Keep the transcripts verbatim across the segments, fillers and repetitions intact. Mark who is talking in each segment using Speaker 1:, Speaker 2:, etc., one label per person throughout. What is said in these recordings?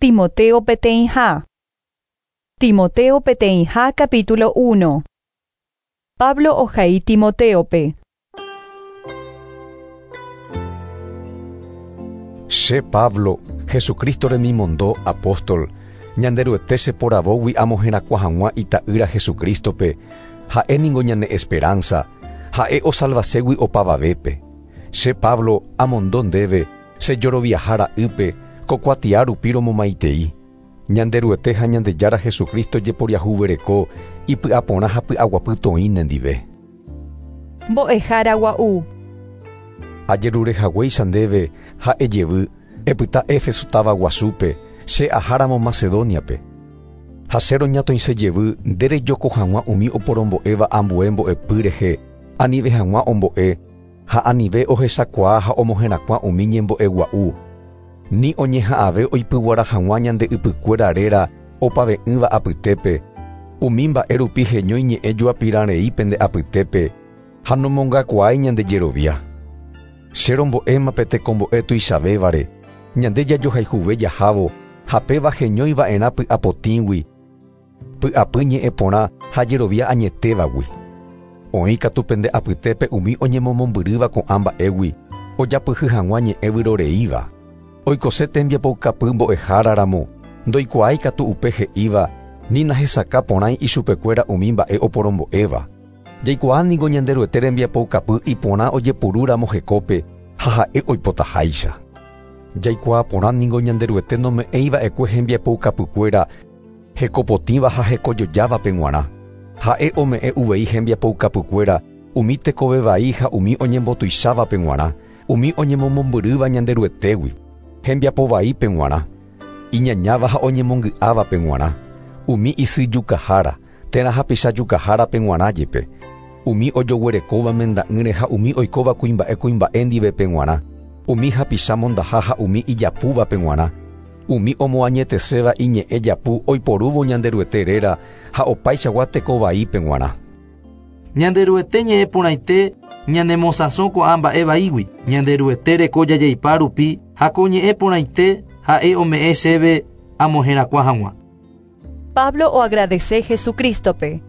Speaker 1: Timoteo peteĩha. Timoteo peteĩha capítulo uno. Pablo ohai Timoteope.
Speaker 2: Che Pablo, Jesucristo remimondo apóstol, Ñanderuete cheporavógui amoherakuã hag̃ua ita'ýra Jesucristope, ha'e ningo ñane esperanza, ha'e osalvaségui opavavépe. Che Pablo amondo ndéve, chejoroviaha ra'ýpe, ko kuatia rupi romomaitei. Ñanderuete ha Ñandejára Jesucristo jeporiahuvereko ipy'aporã ha py'aguapy toĩ nendive.
Speaker 1: Mbo'ehára gua'u.
Speaker 2: Ajerurehaguéicha ndéve ha'e jevy, epyta Éfeso táva guasúpe, che aháramo Macedoniape. Ha che roñatoĩse jevy nderejoko hag̃ua umi oporombo'éva ambue mbo'epy rehe, anive hag̃ua ombo'e, ha anive ohechakuaa ha omoherakuã umi ñembo'e gua'u. Ni oñeha'ãve oipyguara hag̃ua ñande ypykuéra réra opave'ỹva apytépe, umi mba'e rupi heñói ñe'ẽ joapirãrei pende apytépe, ha nomongakuaái ñande jerovia. Che rombo'éma pe tekombo'e tuichavévare, ñande jajohayhuve jahávo, ha péva heñóiva'erã py'apotĩgui, py'apy ñe'ẽ porã ha jerovia añetévagui. Oĩ katu pende apytépe umi oñemomombyrýva ko'ã mba'égui, ojapyhy hag̃ua ñe'ẽ vyroreíva. Oikose tembiapoukapy mbo'eháraramo, ndoikuaái katu upe he'íva, ni nahesakã porãi ichupekuéra umi mba'e oporombo'éva. Jaikuaa ningo Ñanderuete rembiapoukapy iporã ojepurúramo hekópe ha ha'e oipotaháicha. Jaikuaa porã ningo Ñanderuete nome'ẽiva'ekue hembiapoukapykuéra hekopotĩva ha hekojojávape g̃uarã. Ha'e ome'ẽ uvei hembiapoukapykuéra umi tekove vai ha umi oñembotuichávape g̃uarã, umi oñemomombyrýva Ñanderuetégui, hembiapovaípe g̃uarã, iñañáva ha oñemongy'ávape g̃uarã, umi isyjukahára, térã hapichajukahárape g̃uarã jepe, umi ojoguerekóva menda'ỹre ha umi oikóva kuimba'e kuimba'e ndivepe g̃uarã, umi hapicha mondaha ha umi ijapúvape g̃uarã, umi omoañeteséva iñe'ẽ japu oiporúvo Ñanderuete réra ha opaichagua tekovaípe g̃uarã.
Speaker 3: Ñanderuete ñe'ẽ porãite ñanemosãso ko'ã mba'e vaígui, Ñanderuete reko jajeipa rupi ha ko ñe'ẽ porãite ha'e ome'ẽ chéve amoherakuã hag̃ua.
Speaker 1: Pablo oagradece Jesucristope.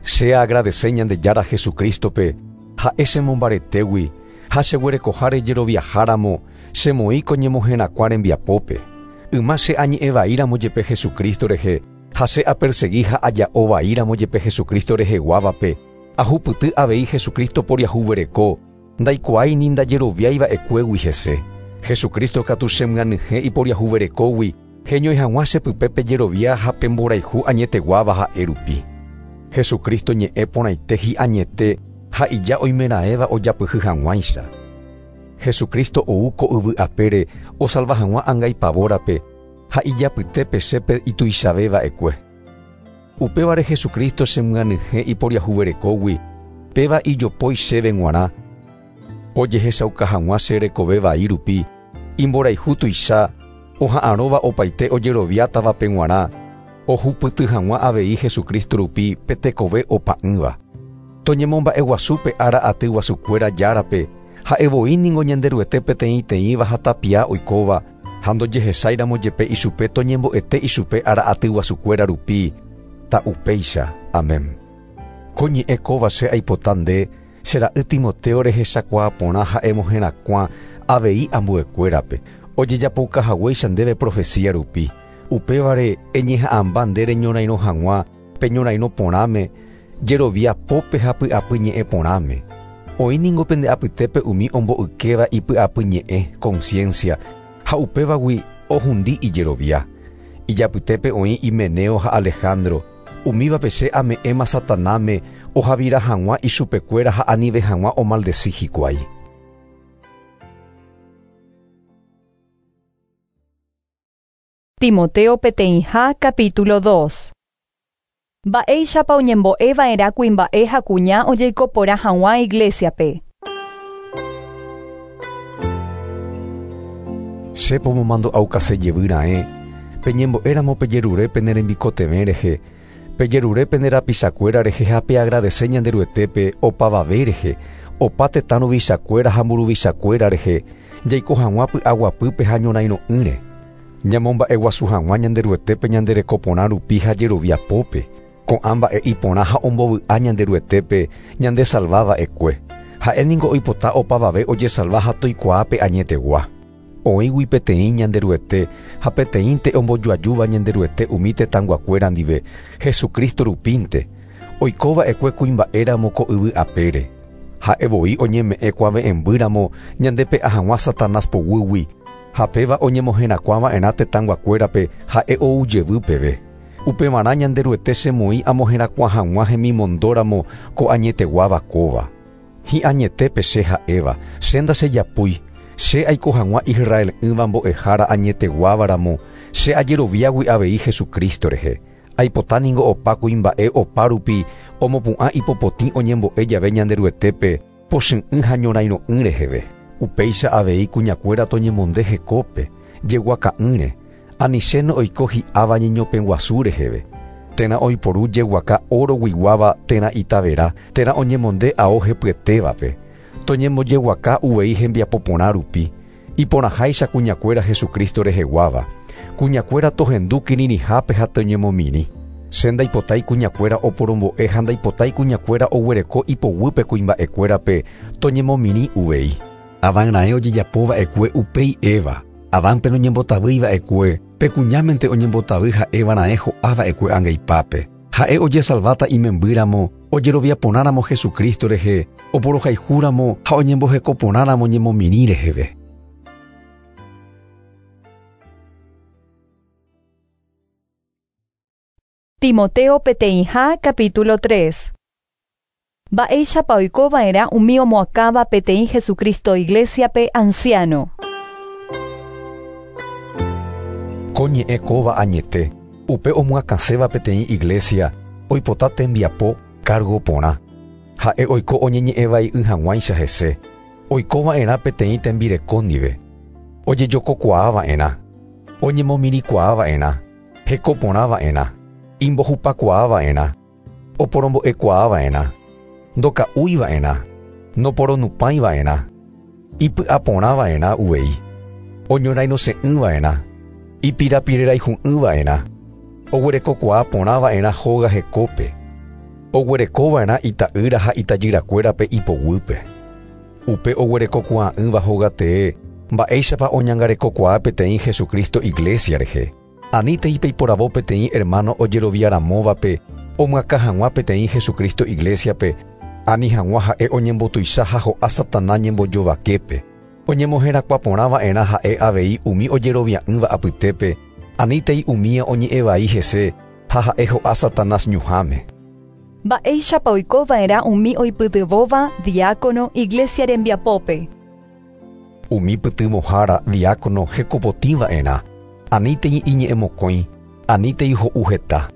Speaker 2: Che agradece Ñandejára Jesucristope, ha'e chemombaretégui, ha cheguerekoháre jeroviaháramo, chemoĩ ko ñemoherakuã rembiapópe. Yma che añe'ẽvaíramo jepe Jesucristo rehe, ha che apersegui ha aja'ovaíramo jepe Jesucristo reheguávape, ahupyty avei Jesucristo poriahuvereko, ndaikuaái ni ndajeroviaiva'ekuégui hese. Jesucristo katu chemyanyhẽ iporiahuverekógui, heñói hag̃ua chepype jerovia ha pemborayhu añeteguáva ha'e rupi. Jesucristo ñe'ẽ porãite hi'añete ha ija oimeraẽva ojapyhy hag̃uáicha. Jesucristo ou ko yvy apére osalva hag̃ua angaipavórape ha ijapytépe chépe ituichaveva'ekue. Upévare Jesucristo chemyanyhẽ iporiahuverekógui, péva ijopói chéve g̃uarã, ojehechauka hag̃ua che rekove vai rupi, imborayhu tuicha, oha'arõva opaite ojeroviátavape g̃uarã, ohupyty hag̃ua avei Jesucristo rupi pe tekove opa'ỹva. Toñemomba'eguasúpe ára aty guasukuéra járape, ha'e voi ningo Ñanderuete peteĩteĩva ha tapia oikóva, ha ndojehesáiramo jepe ichupe toñembo'ete ichupe ára aty guasukuéra rupi, ta'upéicha. Amén. Ko ñe'ẽ kóva che aipota nde, che ra'y Timoteo rehechakuaa porã ha'e moherakuã avei ambuekuérape, ojejapoukahaguéicha ndéve profecía rupi. Upévare eñeha'ãmba nde reñorairõ hag̃ua peñorairõ porãme, jerovia pópe ha py'apy ñe'ẽ porãme. Oĩ ningo pende apytépe umi ombo'ykéva ipy'apy ñe'ẽ, conciencia, ha upévagui ohundi ijerovia. Ijapytépe oĩ Himeneo ha Alejandro, umívape che ame'ẽma Satanáme ohavira hag̃ua ichupekuéra ha anive hag̃ua omaldeci hikuái.
Speaker 1: Timoteo peteĩha capítulo dos. Mba'éichapa oñembo'eva'erã kuimba'e ha kuña ojeiko porã hag̃ua iglesiape.
Speaker 2: Che pomomandu'aukase jevy ra'ẽ, peñembo'éramo pejerure pene rembikotevẽ rehe, pejerure pende rapichakuéra rehe ha peagradece Ñanderuetépe opavave rehe, opa tetã ruvichakuéra ha mburuvichakuéra rehe, jaiko hag̃ua py'aguapýpe ha ñorairõ'ỹre. Ñamomba'eguasu hag̃ua Ñanderuetépe ñanderekoporã rupi ha jeroviapópe. Ko'ã mba'e iporã ha ombovy'a Ñanderuetépe ñandesalvava'ekue. Ha'e ningo oipota opavave ojesalva ha toikuaápe añetegua. Oĩgui peteĩ Ñanderuete ha peteĩnte ombojoajúva Ñanderuete umi tetãnguakuéra ndive, Jesucristo rupínte. Oikova'ekue kuimba'éramo ko yvy apére. Ha'e voi oñeme'ẽ kuave'ẽmbýramo ñandepe'a hag̃ua Satanás poguýgui, ha péva oñemoherakuãva'erã tetãnguakuérape ha'e ou jevy peve. Upevarã Ñanderuete chemoĩ amoherakuã hag̃ua hemimondóramo ko añeteguáva kóva. Hi'añetépe che ha'éva, che ndachejapúi, che aiko hag̃ua Israel'ỹva mbo'ehára añeteguávaramo, che ajeroviágui avei Jesucristo rehe. Aipota ningo opa kuimba'e opa rupi omopu'ã ipopotĩ oñembo'e jave Ñanderuetépe pochy'ỹ ha ñorairõ'ỹ reheve. Upéicha avei kuñakuéra toñemonde hekópe, jeguaka'ỹre, anichéno oiko hi'áva ñeñopẽguasu reheve. Térã oiporu jeguaka oroguiguáva térã itavera, térã oñemonde ao hepyetévape. Toñembojeguaka uvei hembiapoporã rupi, iporãháicha kuñakuéra Jesucristo reheguáva. Kuñakuéra tohendu kirirĩhápe ha toñemomirĩ. Che ndaipotái kuñakuéra oporombo'e ha ndaipotái kuñakuéra oguereko ipoguýpe kuimba'ekuérape toñemomirĩ uvei. Adán raẽ ojejapova'ekue upéi Eva. Adánpe noñembotavýiva'ekue, pe kuñámente oñembotavy ha Eva raẽ ho'ava'ekue angaipápe. Ha'e ojesalváta imembýramo, ojeroviaporãramo Jesucristo rehe, oporohayhúramo ha oñembohekoporãramo ñemomirĩ reheve.
Speaker 1: Timoteo peteĩha capítulo tres. Mba'éichapa oikova'erã umi omoakãva peteĩ Jesucristo iglesiape anciano.
Speaker 2: Ko ñe'ẽ kóva añete, upe omoakãséva peteĩ iglesia, oipota tembiapo cargo porã. Ha'e oiko oñeñe'ẽvai'ỹ hag̃uáicha hese. Oikova'erã peteĩ tembireko ndive. Ojejokokuaava'erã, oñemomirĩkuaava'erã, hekoporãva'erã, imbohupakuaava'erã, oporombo'ekuaava'erã, ndoka'úiva'erã, noporonupãiva'erã, ipy'aporãva'erã uvei, oñorairõse'ỹva'erã, ipirapireraihu'ỹva'erã, oguerekokuaaporãva'erã hóga hekópe, oguerekova'erã ita'ýra ha itajyrakuérape ipoguýpe. Upe oguerekokuaa'ỹva hóga tee, mba'éichapa oñangarekokuaa peteĩ Jesucristo iglesia rehe. Anítei peiporavo peteĩ hermano ojeroviaramóvape, omyakã hag̃ua peteĩ Jesucristo iglesiape, ani hag̃ua ha'e oñembotuicha ha ho'a Satanás ñembojovaképe. Oñemoherakuãporãva'erã ha'e avei umi ojerovia'ỹva apytépe, anítei umía oñe'ẽvai hese ha ha'e ho'a Satanás ñuhãme.
Speaker 1: Mba'éichapa oikova'erã umi oipytyvõva diácono iglesia rembiapópe.
Speaker 2: Umi pytyvõhára diácono hekopotĩva'erã, anítei iñe'ẽmokõi, anítei ho'u heta.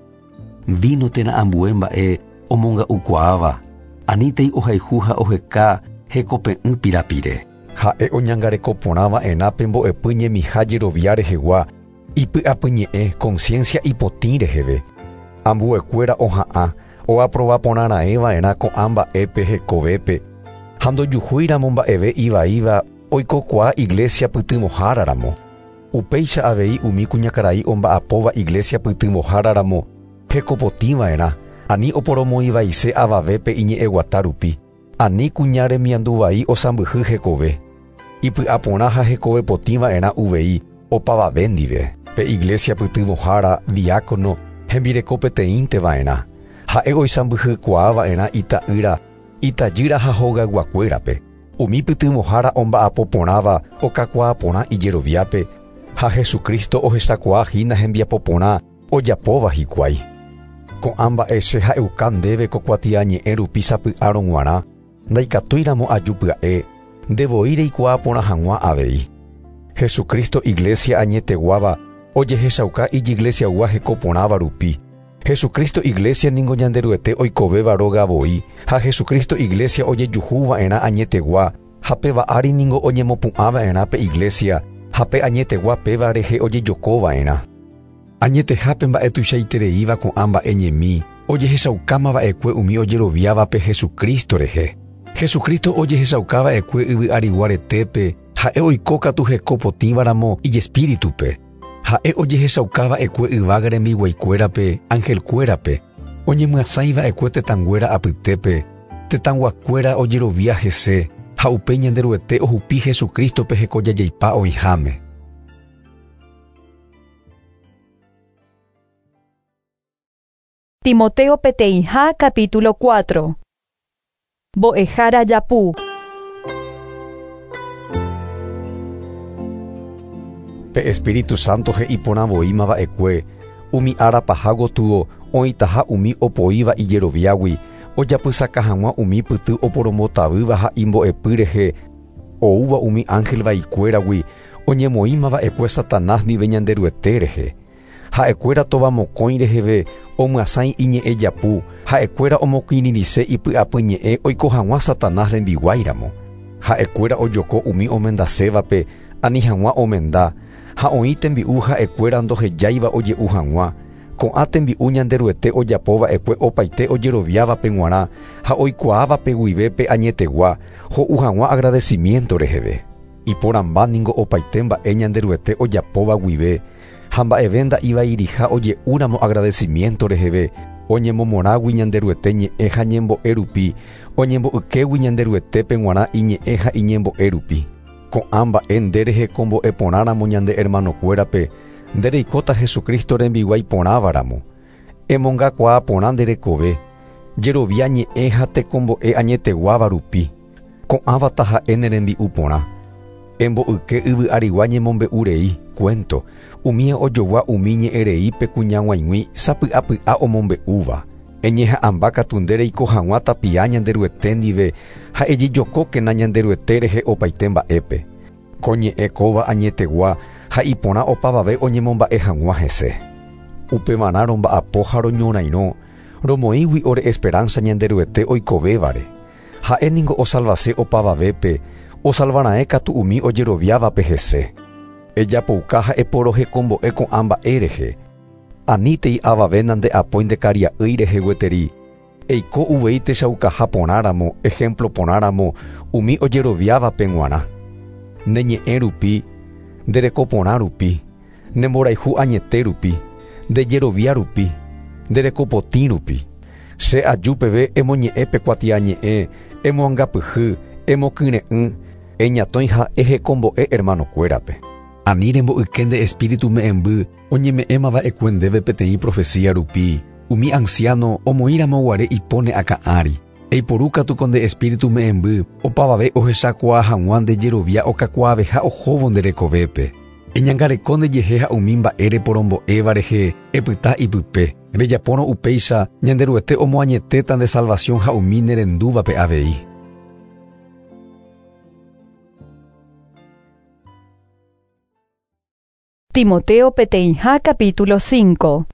Speaker 4: Vino térã ambue mba'e omonga'ukuaáva, anítei ohayhu ha oheka hekope'ỹ pirapire.
Speaker 2: Ha'e oñangarekoporãva'erã pe mbo'epy ñemiha jerovia rehegua, ipy'apyñe'ẽ conciencia ipotĩ reheve. Ambuekuéra oha'ã, oaprovaporãraẽva'erã ko'ã mba'épe hekovépe, ha ndojuhúiramo mba'eve ivaíva oikokuaa iglesia pytyvõháraramo. Upéicha avei umi kuñakarai omba'apóva iglesia pytyvõháraramo hekopotĩva'erã, ani oporomoĩvaise avavépe iñe'ẽguata rupi, ani kuña remianduvai osãmbyhy hekove. Ipy'aporã ha hekovepotĩva'erã uvei opavave ndive. Pe iglesia pytyvõhára diácono hembireko peteĩnteva'erã. Ha'e oisãmbyhykuaava'erã ita'ýra, itajýra ha hogayguakuérape. Umi pytyvõhára omba'apoporãva okakuaaporã ijeroviápe, ha Jesucristo ohechakuaahína hembiapoporã ojapóva hikuái. Ko'ã mba'e che ha'euka ndéve ko kuatiañe'ẽ rupi sapy'árõ g̃uarã, ndaikatúiramo aju pya'e, ndevoi reikuaaporã hag̃ua avei. Jesucristo iglesia añeteguáva ojehechauka ijiglesiagua hekoporãva rupi. Jesucristo iglesia ningo Ñanderuete oikovéva róga voi, ha Jesucristo iglesia ojejuhuva'erã añetegua, ha péva ári ningo oñemopu'ãva'erã pe iglesia, ha pe añetegua péva rehe ojejokova'erã. Añetehápe mba'e tuichaitereíva ko'ã mba'e ñemi, ojehechaukámava'ekue umi ojeroviávape Jesucristo rehe. Jesucristo ojehechaukava'ekue yvy arigua retépe, ha'e oikókatu hekopotĩvaramo ijespíritupe.
Speaker 4: Ha'e ojehechaukava'ekue yvága rembiguaikuérape, angelkuérape, oñemyasãiva'ekue tetãnguéra apytépe, tetãnguakuéra ojerovia hese, ha upe Ñanderuete ohupi Jesucristope hekojajaipa oĩháme.
Speaker 1: Timoteo peteĩha capítulo cuatro. Mbo'ehára japu.
Speaker 2: Pe Espíritu Santo he'i porãvoímava'ekue, umi ára paha gotyo oĩtaha umi opoíva ijeroviágui, ojapysaka hag̃ua umi pyty oporombotavýva ha imbo'epy rehe, oúva umi ángel vaikuéragui, oñemoĩmava'ekue Satanás ndive Ñanderuete rehe. Ha'ekuéra tovamokõi reheve omyasãi iñe'ẽ japu, ha'ekuéra omokirirĩse ipy'apy ñe'ẽ oiko hag̃ua Satanás rembiguáiramo. Ha'ekuéra ojoko umi omendasévape ani hag̃ua omenda, ha oĩ tembi'u ha'ekuéra ndohejáiva oje'u hag̃ua. Ko'ã tembi'u Ñanderuete ojapova'ekue opaite ojeroviávape g̃uarã ha oikuaávape guive pe añetegua, ho'u hag̃ua agradecimiento reheve. Iporãmba ningo opaite mba'e Ñanderuete ojapóva guive, ha mba'eve nda'ivairiha oje'úramo agradecimiento reheve, oñemomorãgui Ñanderuete ñe'ẽ ha ñembo'e rupi, oñembo'ykégui Ñanderuetépe g̃uarã iñe'ẽ ha iñembo'e rupi. Ko'ã mba'e nde rehe kombo'e porãramo ñande hermanokuérape, nde reikóta Jesucristo rembiguái porãvaramo. Emongakuaa porã nde rekove, jerovia ñe'ẽ ha tekombo'e añeteguáva rupi. Ko'ãva taha'e ne rembi'u porã. Embo'yke yvy arigua ñemombe'u rei, cuento, umi ojogua umi ñe'ẽ reípe kuñag̃uaig̃ui sapy'apy'a omombe'úva. Eñeha'ãmba katu nde reiko hag̃ua tapia Ñanderuete ndive ha ejejokókena Ñanderuete rehe opaite mba'épe. Ko ñe'ẽ kóva añetegua ha iporã opavave oñemomba'e hag̃ua hese. Upevarã romba'apo ha roñorairõ, romoĩgui ore esperanza Ñanderuete oikovévare. Ha'e ningo osalvase opavavépe, osalvarãe katu umi ojeroviávape hese. Ejapouka ha eporohekombo'e ko'ã mba'e rehe. Anítei avave nande'apói ndekaria'ýi rehe gueteri. Eiko uvei techaukaha porãramo, ejemplo porãramo, umi ojeroviávape g̃uarã. Ne ñe'ẽ rupi, nde reko porã rupi, ne mborayhu añete rupi, nde jerovia rupi, nde reko potĩ rupi. Che aju peve emoñe'ẽ pe kuatiañe'ẽ, emoangapyhy, emokyre'ỹ, eñatõi ha ehekombo'e hermanokuérape.
Speaker 4: Ani rembo'yke nde espíritu me'ẽmby oñeme'ẽmava'ekue ndéve peteĩ profecía rupi, umi anciano omoĩramoguare ipo ne akã ári. Eiporu katu ko nde espíritu me'ẽmby opavave ohechakuaa hag̃ua nde jerovia okakuaaveha ohóvo nde rekovépe. Eñangareko ndejehe ha umi mba'e reporombo'éva rehe epyta ipype. Rejapórõ upéicha Ñanderuete omoañetéta nde salvación ha umi nerendúvape avei.
Speaker 1: Timoteo peteĩha capítulo cinco.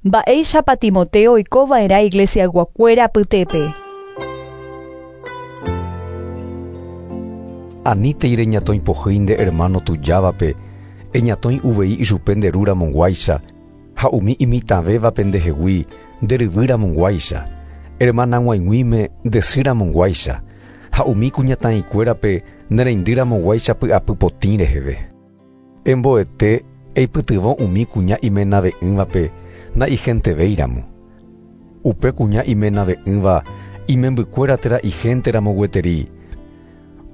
Speaker 1: Mba'éichapa Timoteo oikova'erã iglesiaguakuéra apytépe.
Speaker 2: Anítei reñatõipohýi nde hermano tujávape, eñatõi uvei ichupe nde rúramoguáicha, ha umi imitãvévape ndehegui nde ryvýramoguáicha, hermanag̃uaig̃uíme nde sýramoguáicha, ha umi kuñataĩkuérape nereindýramoguáicha py'apy potĩ reheve. Emboete eipytyvõ umi kuña imenave'ỹvape naigentevéiramo. Upe kuña imenave'ỹva imembykuéra térã ihénteramo gueteri.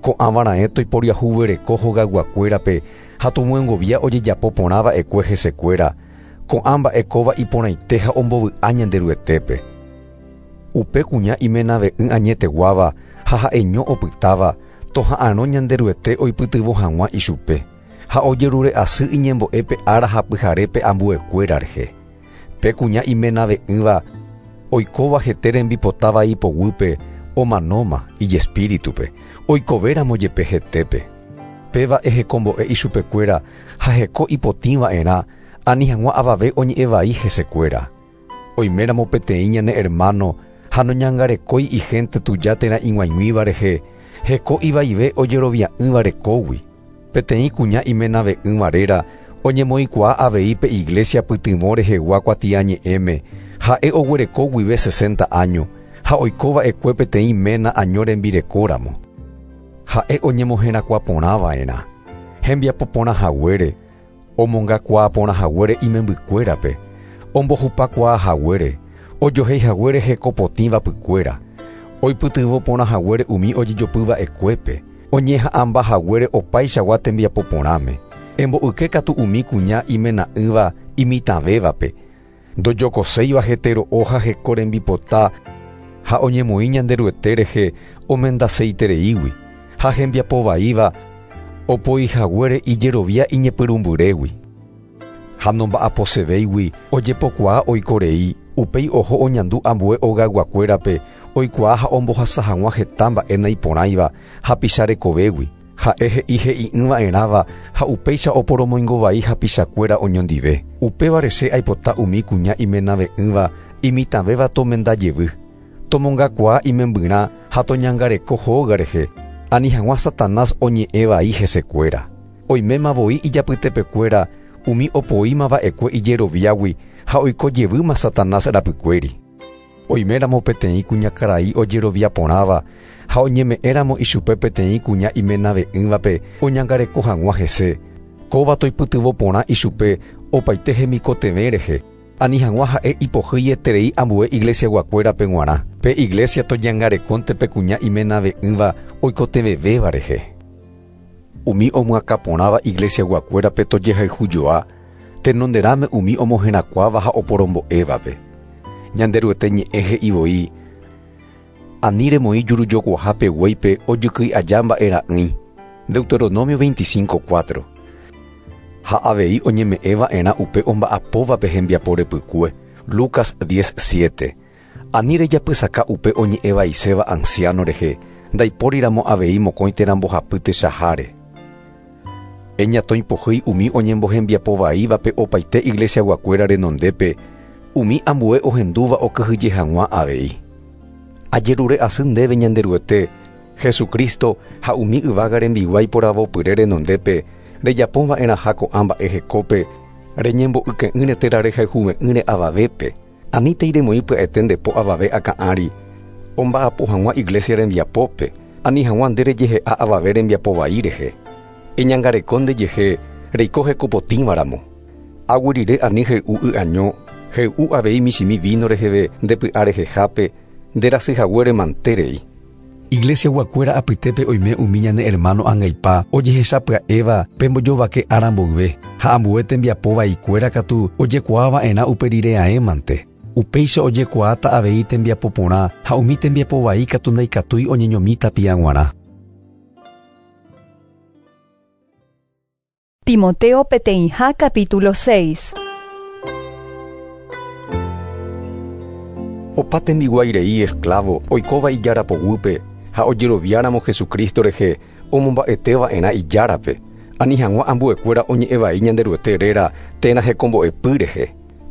Speaker 2: Ko'ãvarãe toiporiahuvereko hogayguakuérape ha tomyengovia ojejapo porãva'ekue hesekuéra, ko'ã mba'e kóva iporãite ha ombovy'a Ñanderuetépe. Upe kuña imenave'ỹ añeteguáva ha ha'eño opytáva toha'ãrõ Ñanderuete oipytyvõ hag̃ua ichupe, ha ojerure asy iñembo'épe ára ha pyharépe ambuekuéra rehe. Pe kuña imenave'ỹva oikóva hete rembipotáva ipoguýpe omanóma ijespíritupe, oikovéramo jepe hetépe. Péva ehekombo'e ichupekuéra ha heko ipotĩva'erã ani hag̃ua avave oñe'ẽvai hesekuéra. Oiméramo peteĩ ñane hermano ha noñangarekói ihénte tuja térã ig̃uaig̃uíva rehe, heko ivaive ojerovia'ỹva rekógui. Peteĩ kuña imenave'ỹva réra oñemoĩkuaa avei pe iglesia pytyvõ rehegua kuatiañe'ẽme, ha'e oguereko guive sesenta año, ha oikova'ekue peteĩ ména año rembirekóramo. Ha'e oñemoherakuã porãva'erã, hembiapo porã haguére, Omongakuaa porã haguére imembykuérape, ombohupakuaa haguére, ojohéi haguére hekopotĩva pykuéra, oipytyvõ porã haguére umi ojejopyva'ekuépe, oñeha'ãmba haguére opaichagua tembiapo porãme. Emboyke katu umi kuña imena'ỹva imitãvévape, ndojokoséiva hetero'o ha heko rembipota ha oñemoĩ Ñanderuete rehe omendaseitereígui, ha hembiapovaíva opoi haguére ijerovia iñepyrũmbyrégui. Ha nomba'aposevéigui ojepokuaa oikorei, upéi oho oñandu ambue ogayguakuérape oikuaa ha ombohasa hag̃ua heta mba'e naiporãiva hapicharekovégui. Ha'e he'i he'i'ỹva'erãva ha upéicha oporomoingovai hapichakuéra oñondive. Upévare che aipota umi kuña imenave'ỹva imitãvéva tomendajevy, tomongakuaa imembyrã ha toñangareko hóga rehe, ani hag̃ua Satanás oñe'ẽvai hesekuéra. Oiméma voi ijapytepekuéra umi opoímava'ekue ijeroviágui ha oikojevýma Satanás rapykuéri. Oiméramo peteĩ kuñakarai ojerovia porãva ha oñeme'ẽramo ichupe peteĩ kuña imenave'ỹvape oñangareko hag̃ua hese, kóva toipytyvõ porã ichupe opaite hemikotevẽ rehe, ani hag̃ua ha'e ipohýieterei ambue iglesiaguakuérape g̃uarã. Pe iglesia toñangarekónte pe kuña imenave'ỹva oikotevẽvéva rehe. Umi omyakãporãva iglesiaguakuérape tojehayhujoa, tenonderãme umi omoherakuãva ha oporombo'évape. Ñanderuete ñe'ẽ he'i voi, ani remoĩ jurujokuahápe guéipe ojykýi aja mba'era'ỹi. Deuteronomio veinticinco cuatro. Ha avei oñeme'ẽva'erã upe omba'apóvape hembiapo repykue. Lucas diez siete. Ani rejapysaka upe oñe'ẽvaiséva anciano rehe, ndaipóriramo avei mokõi térã mbohapy techaháre. Eñatõipohýi umi oñembohembiapovaívape opaite iglesiaguakuéra renondépe, umi ambue ohendúva okyhyje hag̃ua avei. Ajerure asy ndéve Ñanderuete, Jesucristo ha umi yvága rembiguái poravopyre renondépe, rejapóva'erãha ko'ã mba'e hekópe, reñembo'yke'ỹre térã rehayhuve'ỹre avavépe, anítei remoĩ pya'ete ndepo avave akã'ári, omba'apo hag̃ua iglesia rembiapópe, ani hag̃ua nde rejehe'a avave rembiapovai rehe. Eñangareko ndejehe reiko hekopotĩvaramo. Aguyryre ani hey'u y año, hey'u avei michĩmi vino reheve ndepy'a rehehápe, nderasyhaguére manterei.
Speaker 4: Iglesiaguakuéra apytépe oime umi ñane hermano angaipa ojehechapya'éva pembojovake ára mboyve, ha ambue tembiapovaikuéra katu ojekuaava'erã upe rire aémante. Upéicha ojekuaáta avei tembiapo porã ha umi tembiapovai katu ndaikatúi oñeñomi tapia g̃uarã.
Speaker 1: Timoteo peteĩha capítulo seis.
Speaker 2: Opa tembiguairei esclavo oikóva ijarapoguýpe ha ojeroviáramo Jesucristo rehe omomba'etéva'erã ijárape, ani hag̃ua ambuekuéra oñe'ẽvai Ñanderuete réra térã hekombo'epy rehe.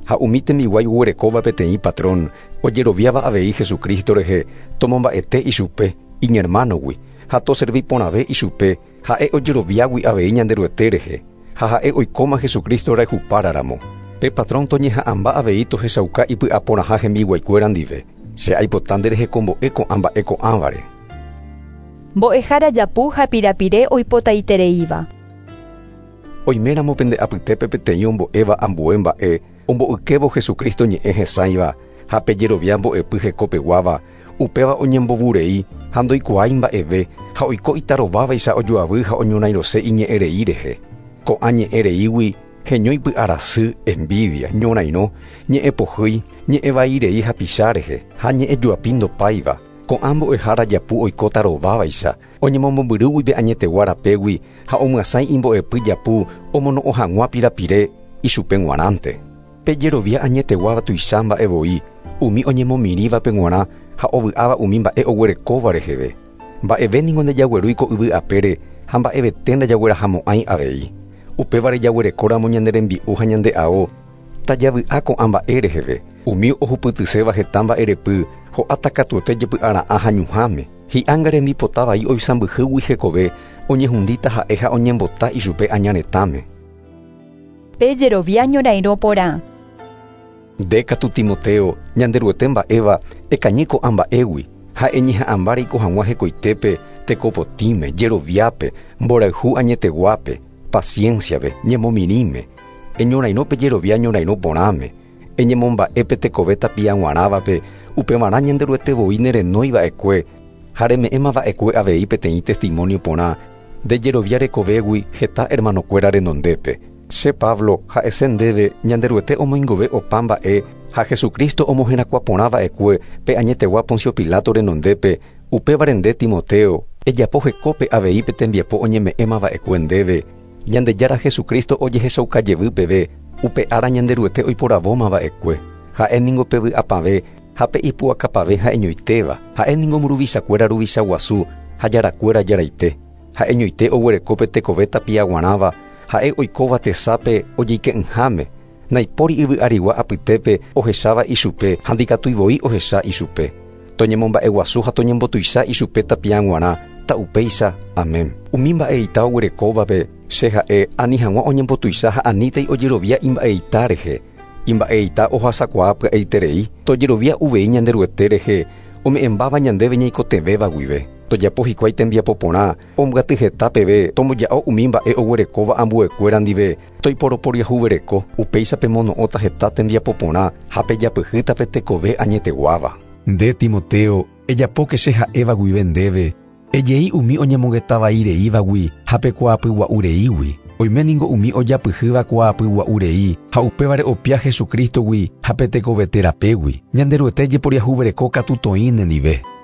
Speaker 2: Ha umi tembiguái oguerekóva peteĩ patrón ojeroviáva avei Jesucristo rehe tomomba'ete ichupe iñermanogui ha toservi porãve ichupe ha'e ojeroviágui avei Ñanderuete rehe ha ha'e oikóma Jesucristo rehupáraramo. Pe patrón toñeha'ãmba avei tohechauka ipy'aporãha hembiguaikuéra ndive. Che aipota nde rehekombo'e ko'ã mba'e ko'ãvare.
Speaker 1: Mbo'ehára japu ha pirapire oipotaitereíva.
Speaker 2: Oiméramo pende apytépe peteĩ ombo'éva ambue mba'e, ombo'ykévo Jesucristo ñe'ẽ hesãiva ha pejerovia mbo'epy hekopeguáva, upéva oñembovurei ha ndoikuaái mba'eve ha oiko itarovávaicha ojoavy ha oñorairõse iñe'ẽrei rehe. Ko'ã ñe'ẽreígui heñói py'arasy, envidia, ñorairõ, ñe'ẽpohýi, ñe'ẽvairei hapicha rehe ha ñe'ẽjoapi ndopáiva. Ko'ã mbo'ehára japu oiko tarovávaicha, oñemombyrýgui pe añetegua rapégui ha omyasãi imbo'epy japu omono'õ hag̃ua pirapire ichupe g̃uarãnte. Pejerovia añeteguáva tuicha mba'e voi, umi oñemomirĩvape g̃uarã ha ovy'áva umi mba'e oguerekóva reheve. Mba'eve ningo ndejaguerúi ko yvy apére ha mba'evete ndajaguerahamo'ãi avei. Upévare jaguerekóramo ñane rembi'u ha ñande ao, tajavy'a ko'ã mba'e reheve. Umi ohupytyséva heta mba'erepy ho'áta katuete jepy'ara'ã ha ñuhãme. Hi'ánga rembipotavai oisãmbyhýgui hekove oñehundíta ha'e ha oñembota ichupe añaretãme.
Speaker 1: Pejerovia ñorairõ porã.
Speaker 2: Nde katu Timoteo, Ñanderuete mba'éva ekañy ko'ã mba'égui ha eñeha'ãmba reiko hag̃ua hekoitépe, tekopotĩme, jeroviápe, mborayhu añeteguápe, pacienciape, ñemomirĩme, Eñorairõ pe jerovia ñorairõ porãme. Eñemomba'épe tekove tapiaguarãvape upevarã Ñanderuete voi nerenóiva'ekue ha reme'ẽmava'ekue avei peteĩ testimonio porã nde jerovia rekovégui heta hermanokuéra renondépe. Che Pablo ha'ese ndéve Ñanderuete omoingove opa mba'e ha Jesucristo omoherakuã porãva'ekue pe añetegua Poncio Pilato renondépe upévare nde Timoteo ejapo hekópe avei pe tembiapo oñeme'ẽmava'ekue ndéve Ñandejára Jesucristo ojehechauka peve upe ára Ñanderuete oiporavómava'ekue ha'e ningo pe vy'apave ha pe ipu'akapave ha'eñoitéva ha'e ningo mburuvichakuéra ruvicha guasu ha jarakuéra jaraite ha'eñoite oguereko pe tekove tapiaguarãva ha'e oikóva tesápe ojeike'ỹháme naipóri yvy arigua apytépe ohecháva ichupe ha ndikatuivoi ohecha ichupe toñemomba'eguasu ha toñembotuicha ichupe tapiaguarã ta'upéicha. Amén. Umi mba'eita oguerekóvape che ha'e ani hag̃ua oñembotuicha ha anítei ojerovia imba'eita rehe imba'eita ohasakuaa pya'eiterei tojerovia uvei Ñanderuete rehe ome'ẽmbáva ñandéve ñaikotevẽva guive tojapo hikuái tembiapo porã ombyaty heta peve tomboja'o umi mba'e oguerekóva ambuekuéra ndive toiporoporiahuvereko upéicha pemono'õta heta tembiapo porã ha pejapyhýta pe tekove añeteguáva.
Speaker 4: Nde Timoteo, ejapóke che ha'éva guive ndéve, ejei umi oñemongetavaireívagui ha pe kuaapygua'ureígui. Oime ningo umi ojapyhýva kuaapygua'urei ha upévare opia Jesucristogui ha pe tekoveterapégui. Ñanderuete jeporiahuvereko katu toĩ nendive.